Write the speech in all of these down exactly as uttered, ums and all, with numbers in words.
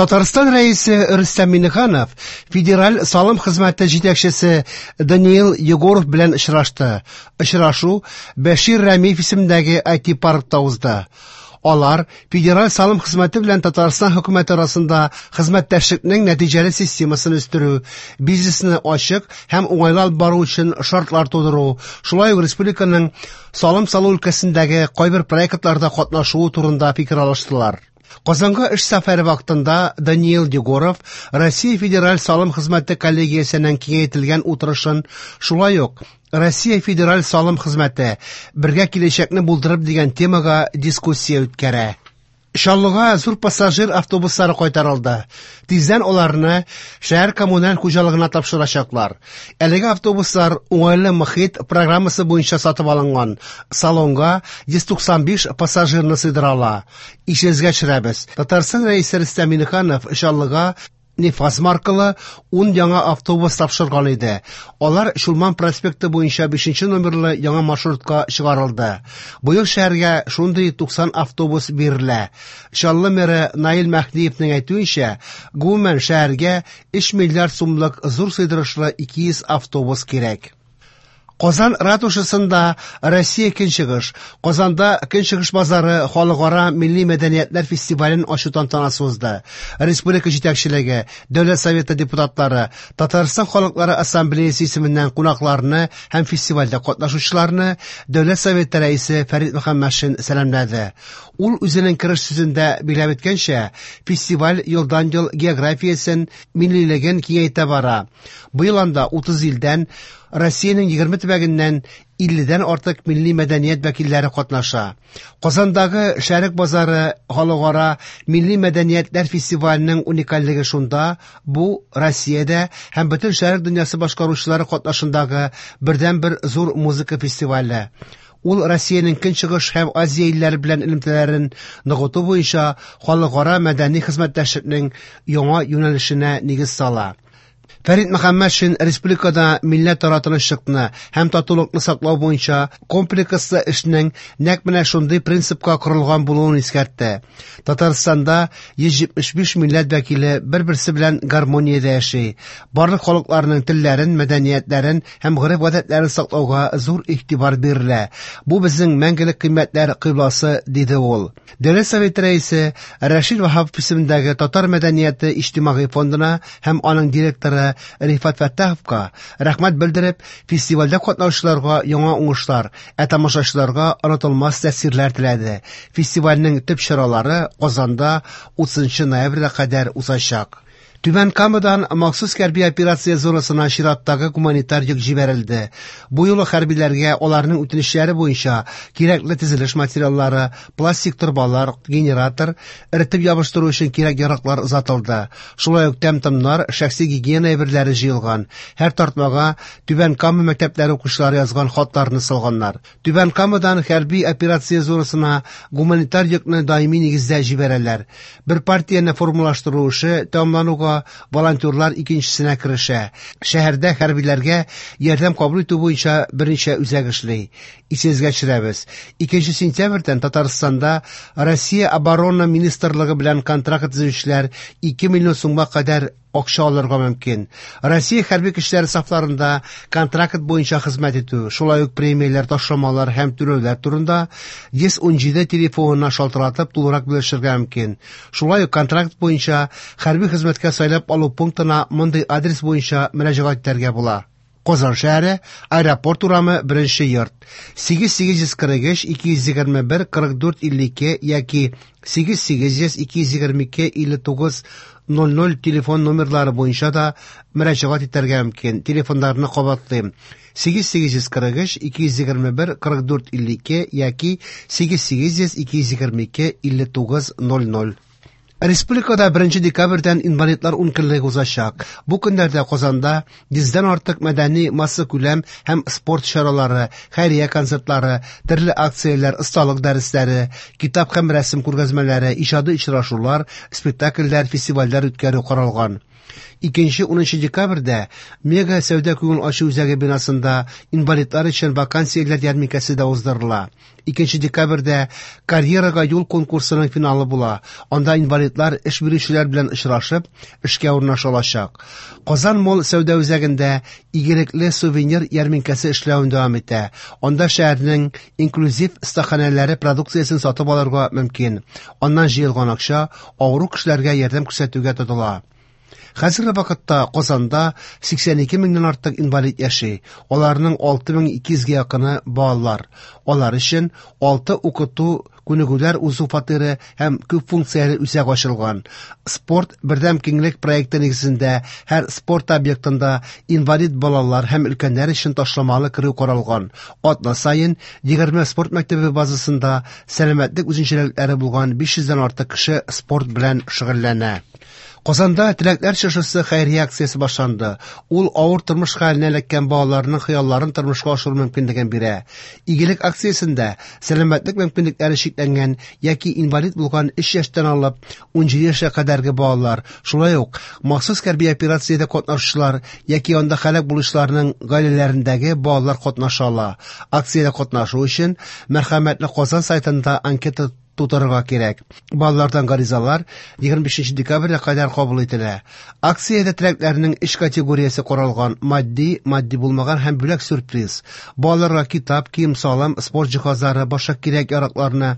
Татарстан Рәисе Рөстәм Миңнеханов Федераль салым хезмәте җитәкчесе Даниил Егоров белән очрашты. Очрашу Бәшир Рәмиев исемендәге ай ти-паркта узды. Алар Федераль салым хезмәте белән Татарстан хөкүмәте арасында хезмәттәшлекнең нәтиҗәле системасын үстерү, бизнесны ачык һәм уңайлы алып бару өчен шартлар тудыру, шулай ук республиканың салым салу өлкәсендәге кайбер проектларда катнашуы турында фикер алыштылар. Казанга эш сәфәре вакытында Даниил Егоров Россия Федераль салым хезмәте коллегиясенең киңәйтелгән утырышын, шулай ук Россия Федераль салым хезмәте бергә киләчәкне булдырып дигән темага дискуссия үткәрә. Чаллыга зур пассажир автобуслары кайтарылды. Тиздән аларны шәһәр коммуналь хуҗалыгына тапшырачаклар. Әлеге автобуслар уңайлы мохит программасы буенча сатып алынган. Салонга йөз туксан биш пассажирны сыйдыра ала. Исегезгә төшерәбез. Татарстан Рәисе Рөстәм Миңнеханов Чаллыга Нефаз маркалы ун яңа автобус тапшырган иде. Алар Чулман проспекты буенча бишенче номерлы яңа маршрутка чыгарылды. Быел шәһәргә шундый туксан автобус бирелә. Чаллы мэры Наил Мәһдиевнең әйтүенчә, гомумән шәһәргә өч миллиард сумлык зур сыйдырышлы ике йөз автобус кирәк. Казан ратушасында Россия Көнчыгыш, Казанда Көнчыгыш базары халыкара милли мәдәниятләр фестивален ачу тантанасы узды. Республика җитәкчелеге, Дәүләт Советы депутатлары, Татарстан халыклары ассамблеясы исеменнән кунакларны һәм фестивальдә катнашучыларны Дәүләт Советы рәисе Фәрит Мөхәммәтшин сәламләде. Ул үзенең кереш сүзендә билгеләп үткәнчә, фестиваль елдан-ел географиясен, миллилеген киңәйтә бара. Быел анда утыз илдән, Россиянең егерме төбәгеннән илледән артык милли мәдәният вәкилләре катнаша. Казандагы Шәрык базары халыкара милли мәдәниятләр фестиваленең уникальлеге шунда, бу Россиядә һәм бөтен шәрык дөньясы башкаручылары катнашындагы бердәнбер зур музыка фестивале. Ул Россиянең Көнчыгыш һәм Азия илләре белән элемтәләрен ныгыту буенча халыкара мәдәни хезмәттәшлекнең яңа юнәлешенә нигез сала. Фәрит Мөхәммәтшин республикада милләтара тынычлыкны һәм татулыкны саклау буенча комплекслы эшнең нәкъ менә шундый принципка корылган булуын искәртте. Татарстанда йөз җитмеш биш милләт вәкиле бер-берсе белән гармониядә яши. Барлык халыкларның телләрен, мәдәниятләрен һәм гореф-гадәтләрен саклауга зур игътибар бирелә. Бу безнең мәңгелек кыйммәтләр кыйбласы, диде ул. Дәүләт Советы рәисе Рәшид Ваһапов исемендәге Татар мәдәнияте иҗтимагый фондына һәм аның директоры Рифат Фәттаховка рәхмәт белдереп, фестивальдә катнашучыларга яңа уңышлар, ә тамашачыларга онытылмас тәэсирләр теләде. Фестивальнең төп чаралары Казанда утызынчы ноябрьгә кадәр узачак. Түбән Камадан махсус хәрби операция зонасына чираттагы гуманитар йөк җибәрелде. Бу юлы хәрбиләргә аларның үтенечләре буенча кирәкле төзелеш материаллары, пластик торбалар, генератор, эретеп ябыштыру өчен кирәк яраклар озатылды. Шулай ук тәм-томнар, шәхси гигиена әйберләре җыелган. Һәр тартмага Түбән Кама мәктәпләре укучылары язган хатларны салганнар. Түбән Камадан хәрби операция зонасына гуманитар йөкне даими нигездә җибәрәләр. Бер партияне формалаштыру эше тәмамлануга волонтерлар икенчесенә керешә. Шәһәрдә хәрбиләргә ярдәм кабул итү буенча берничә үзәк эшли. Исегезгә төшерәбез. Икенче сентябрьдән Татарстанда Россия Оборона Министрлыгы белән контракт төзүчеләр ике миллион сумга кадәр акча алырга мөмкин. Россия хәрби көчләре сафларында контракт буенча хезмәт итү, шулай ук премияләр, ташламалар һәм түләүләр турында йөз ун җиде телефонына шалтыратып тулырак белешергә мөмкин. Шулай ук контракт буенча хәрби хезмәткә сайлап алу пунктына мондый адрес буенча мөрәҗәгать итәргә була. Казан шәһәре, Аэропорт урамы, беренче йорт. Сигез сигез йөз кырык өч, ике йөз егерме бер, кырык дүрт, илле ике яки сигез сигез йөз, ике йөз егерме ике, илле тугыз, ноль ноль телефон номерлары буенча да мөрәҗәгать итәргә мөмкин. Телефоннарны кабатлыйм. Сигез сигез йөз кырык өч, ике йөз егерме бер, кырык дүрт, илле ике яки сигез сигез йөз, ике йөз егерме ике, илле тугыз, ноль ноль. Республикада беренче декабрьдән инвалидлар ункөнлеге узачак. Бу көннәрдә Казанда йөздән артык мәдәни массакүләм һәм спорт чаралары, хәйрия концертлары, төрле акцияләр, осталык дәресләре, китап һәм рәсем күргәзмәләре, иҗади очрашулар, спектакльләр, фестивальләр үткәрү каралган. Икенче-унынчы декабрьдә Мега сәүдә-күңел ачу үзәге бинасында инвалидлар өчен вакансияләр ярминкәсе дә уздырыла. Икенче декабрьдә «Карьерага юл» конкурсының финалы була. Анда инвалидлар эш бирүчеләр белән очрашып, эшкә урнаша алачак. Казан Молл сәүдә үзәгендә игелекле сувенир ярминкәсе эшләвен дәвам итә. Анда шәһәрнең инклюзив остаханәләре продукциясен сатып алырга мөмкин. Аннан җыелган акча авыру кешеләргә ярдәм күрсәтүгә тотыла. Хәзерге вакытта Казанда сиксән ике меңнән артык инвалид яши. Аларның алты мең ике йөзгә якыны балалар. Алар өчен алты укыту күнегүләр узу фатиры һәм күп функцияле үзәк ачылган. Спорт бердәм киңлек проекты нигезендә һәр спорт объектында инвалид балалар һәм өлкәннәр өчен ташламалы керү каралган. Атна саен егерме спорт мәктәбе базасында сәламәтлек үзенчәлекләре булган биш йөздән артык кеше спорт белән шөгыльләнә. Казанда Теләкләр чыршысы хәйрия акциясе башланды. Ул авыр тормыш хәленә эләккән балаларның хыялларын тормышка ашыру мөмкинлеген бирә. Игелек акциясендә сәламәтлек мөмкинлекләре чикләнгән яки инвалид булган өч яшьтән алып ун җиде яшькә кадәрге балалар, шулай ук махсус хәрби операциядә катнашучылар яки анда һәлак булучыларның гаиләләрендәге балалар катнаша ала. Акциядә катнашу өчен Мәрхәмәтле Казан сайтында анкета тутырырга кирәк. Балалардан гаризалар егерме бишенче декабрьгә кадәр кабул ителә. Акциядә теләкләрнең өч категориясе каралган: матди, матди булмаган һәм бүләк сюрприз. Балаларга китап, кием-салым, спорт җиһазлары, башка кирәк-яракларны,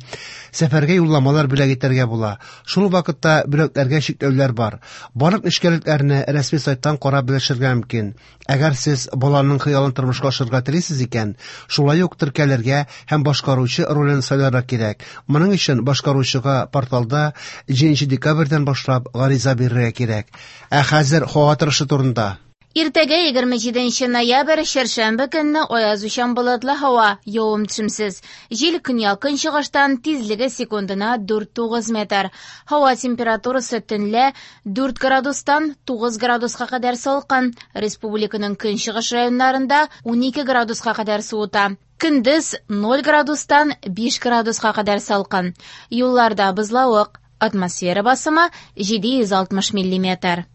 сәфәргә юлламалар бүләк итәргә була. Шул ук вакытта бүләкләргә чикләүләр бар. Барлык нечкәлекләрне рәсми сайттан карап белешергә мөмкин. Әгәр сез баланың хыялын тормышка ашырырга телисез икән, шулай ук теркәлергә һәм башкаручы ролен сайларга кирәк. Моның өчен башкаручыга порталда җиденче декабрьдән башлап гариза бирергә кирәк. Ә хәзер һава торышы турында. Иртәгә егерме җиденче ноябрь, чәршәмбе көнне аязучан болытлы һава, явым-төшемсез. Җил көньяк-көнчыгыштан, тизлеге секундына дүрт тугыз метр. Һава температурасы төнлә дүрт градустан тугыз градуска кадәр салкын. Республиканың көнчыгыш районнарында унике градуска кадәр суыта. Көндез ноль градустан биш градуска кадәр салкын. Юлларда бозлавык, атмосфера басымы җиде йөз алтмыш миллиметр.